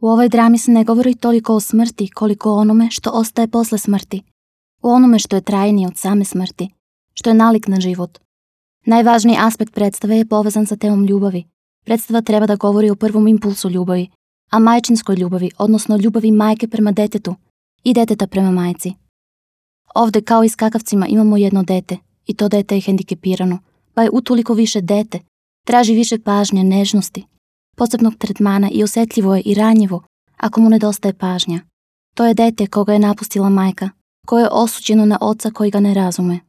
U ovoj drami se ne govori toliko o smrti koliko o onome što ostaje posle smrti, u onome što je trajnije od same smrti, što je nalik na život. Najvažniji aspekt predstave je povezan sa temom ljubavi. Predstava treba da govori o prvom impulsu ljubavi, a majčinskoj ljubavi, odnosno ljubavi majke prema detetu i deteta prema majci. Ovde, kao i s Kakavcima, imamo jedno dete i to dete je hendikepirano, pa je utoliko više dete, traži više pažnje, nežnosti, posebnog tretmana i osetljivo je i ranjivo ako mu nedostaje pažnja. To je dete koga je napustila majka, koje je osuđeno na oca koji ga ne razume.